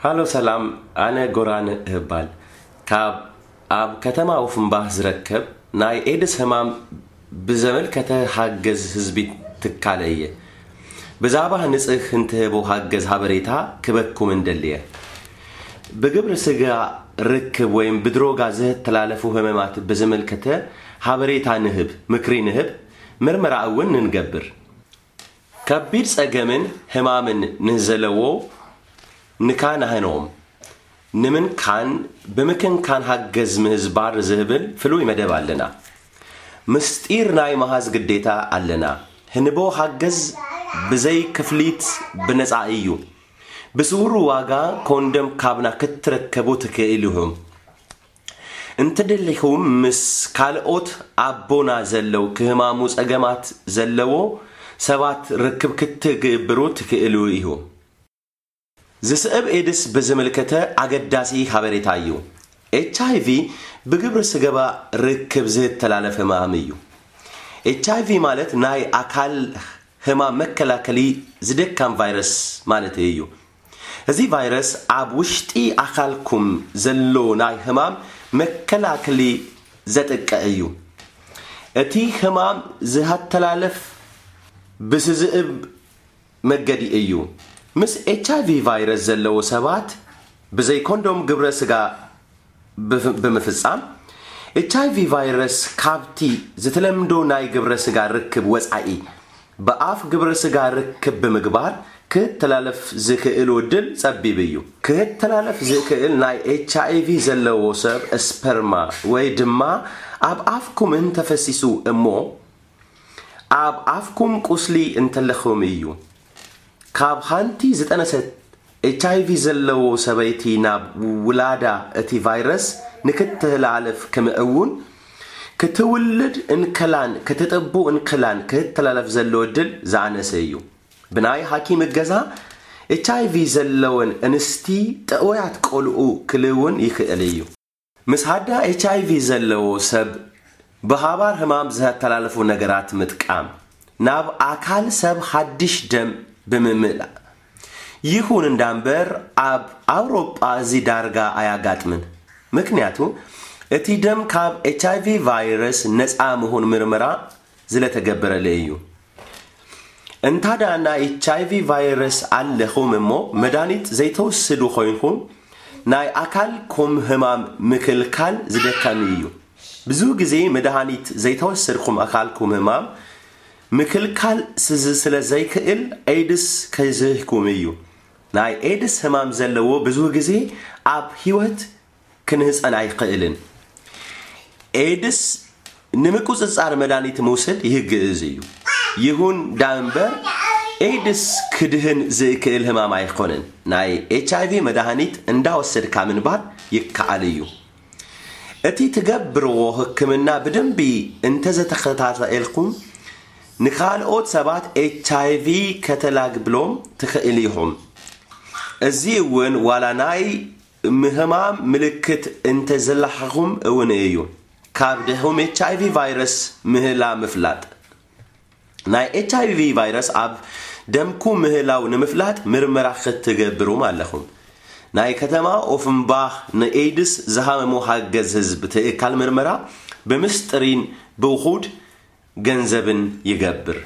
ሃሎ ሰላም፣ ኣነ ጎራን እባል። ካብ ኣብ ከተማ ኦፍንባህ ዝረከብ ናይ ኤድስ ህማም ብዘመልከተ ሃገዝ ህዝቢ ትካለ እየ። ብዛዕባ ንጽህ እንትህቦ ሃገዝ ሃበሬታ ክበኩም እንደልየ። ብግብሪ ስጋ ርክብ ወይም ብድሮጋ ዝተላለፉ ህመማት ብዝምልከተ ሃበሬታ ንህብ፣ ምክሪ ንህብ፣ ምርመራ እውን ንንገብር። ከቢድ ጸገምን ህማምን ንዘለዎ ንካናህኖም ንምንካን ብምክንካን ሃገዝ ምህዝባር ዝህብል ፍሉይ መደብ ኣለና። ምስጢር ናይ መሃዝ ግዴታ ኣለና። ህንቦ ሃገዝ ብዘይ ክፍሊት ብነጻ እዩ። ብስውሩ ዋጋ ኮንደም ካብና ክትረከቡ ትክእል ኢኹም። እንተደሊኹም ምስ ካልኦት ኣቦና ዘለው ክህማሙ ጸገማት ዘለዎ ሰባት ርክብ ክትግብሩ ትክእሉ ኢኹም። ዝስዕብ ኤድስ ብዝምልከተ ኣገዳሲ ሓበሬታ እዩ። ኤች ኣይ ቪ ብግብሪ ስገባ ርክብ ዝተላለፈ ህማም እዩ። ኤች ኣይ ቪ ማለት ናይ ኣካል ህማም መከላከሊ ዝደካም ቫይረስ ማለት እዩ። እዚ ቫይረስ ኣብ ውሽጢ ኣካልኩም ዘሎ ናይ ህማም መከላከሊ ዘጥቅዕ እዩ። እቲ ህማም ዝሃተላለፍ ብስዝእብ መገዲ እዩ። ምስ ኤች ኣይ ቪ ቫይረስ ዘለዎ ሰባት ብዘይ ኮንዶም ግብረ ስጋ ብምፍጻም፣ ኤች ኣይ ቪ ቫይረስ ካብቲ ዝተለምዶ ናይ ግብረ ስጋ ርክብ ወጻኢ ብኣፍ ግብረ ስጋ ርክብ ብምግባር ክተላለፍ ዝኽእል ዕድል ጸቢብ እዩ። ክተላለፍ ዝኽእል ናይ ኤች ኣይ ቪ ዘለዎ ሰብ ስፐርማ ወይ ድማ ኣብ ኣፍኩም እንተፈሲሱ እሞ ኣብ ኣፍኩም ቁስሊ እንተለኹም እዩ። ካብ ሓንቲ ዝጠነሰት ኤች ኣይ ቪ ዘለዎ ሰበይቲ ናብ ውላዳ እቲ ቫይረስ ንክትተላለፍ ከምእውን ክትውልድ እንከላን ክትጥቡ እንከላን ክተላለፍ ዘሎ ዕድል ዝኣነሰ እዩ። ብናይ ሓኪም እገዛ ኤች ኣይ ቪ ዘለወን እንስቲ ጥዑያት ቆልዑ ክልውን ይኽእል እዩ። ምስ ሃዳ ኤች ኣይ ቪ ዘለዎ ሰብ ብሃባር ህማም ዘተላለፉ ነገራት ምጥቃም፣ ናብ ኣካል ሰብ ሓድሽ ደም ብምምላእ። ይኹን እንዳምበር ኣብ ኣውሮጳ እዚ ዳርጋ ኣያጋጥምን። ምክንያቱ እቲ ደም ካብ ኤች ኣይ ቪ ቫይረስ ነፃ ምኹን ምርመራ ዝለተገበረለ እዩ። እንታዳ ናይ ኤች ኣይ ቪ ቫይረስ ኣለኹም እሞ መድሃኒት ዘይተወስዱ ኮይንኩም ናይ ኣካልኩም ህማም ምክልካል ዝደከም እዩ። ብዙ ግዜ መድሃኒት ዘይተወሰድኩም ኣካልኩም ህማም ምክልካል ስዝ-፣ ስለ ዘይክእል ኤድስ ከይዝህኩም እዩ። ናይ ኤድስ ህማም ዘለዎ ብዙ ግዜ ኣብ ህይወት ክንህፀን ኣይኽእልን። ኤድስ ንምቁፅፃር መድሃኒት ምውሰድ ይህግእዝ እዩ። ይኹን ዳእምበር ኤድስ ክድህን ዝእክእል ህማም ኣይኮነን። ናይ ኤች ኣይ ቪ መድሃኒት እንዳወሰድካ ምንባር ይከኣል እዩ። እቲ ትገብርዎ ህክምና ብደንቢ እንተዘተኸታተልኩም ንኻልኦት ሰባት ኤች ኣይ ቪ ከተላግብሎም ትኽእል ኢኹም። እዚ እውን ዋላ ናይ ምህማም ምልክት እንተዘለሓኹም እውን እዩ። ካብ ድሕም ኤች ኣይ ቪ ቫይረስ ምህላ ምፍላጥ። ናይ ኤች ኣይ ቪ ቫይረስ ኣብ ደምኩ ምህላው ንምፍላጥ ምርመራ ክትገብሩም ኣለኹም። ናይ ከተማ ኦፍንባህ ንኤድስ ዝሃመሙ ሓገዝ ህዝብ ትእካል ምርመራ ብምስጥሪን ብውኹድ ገንዘብን ይገብር።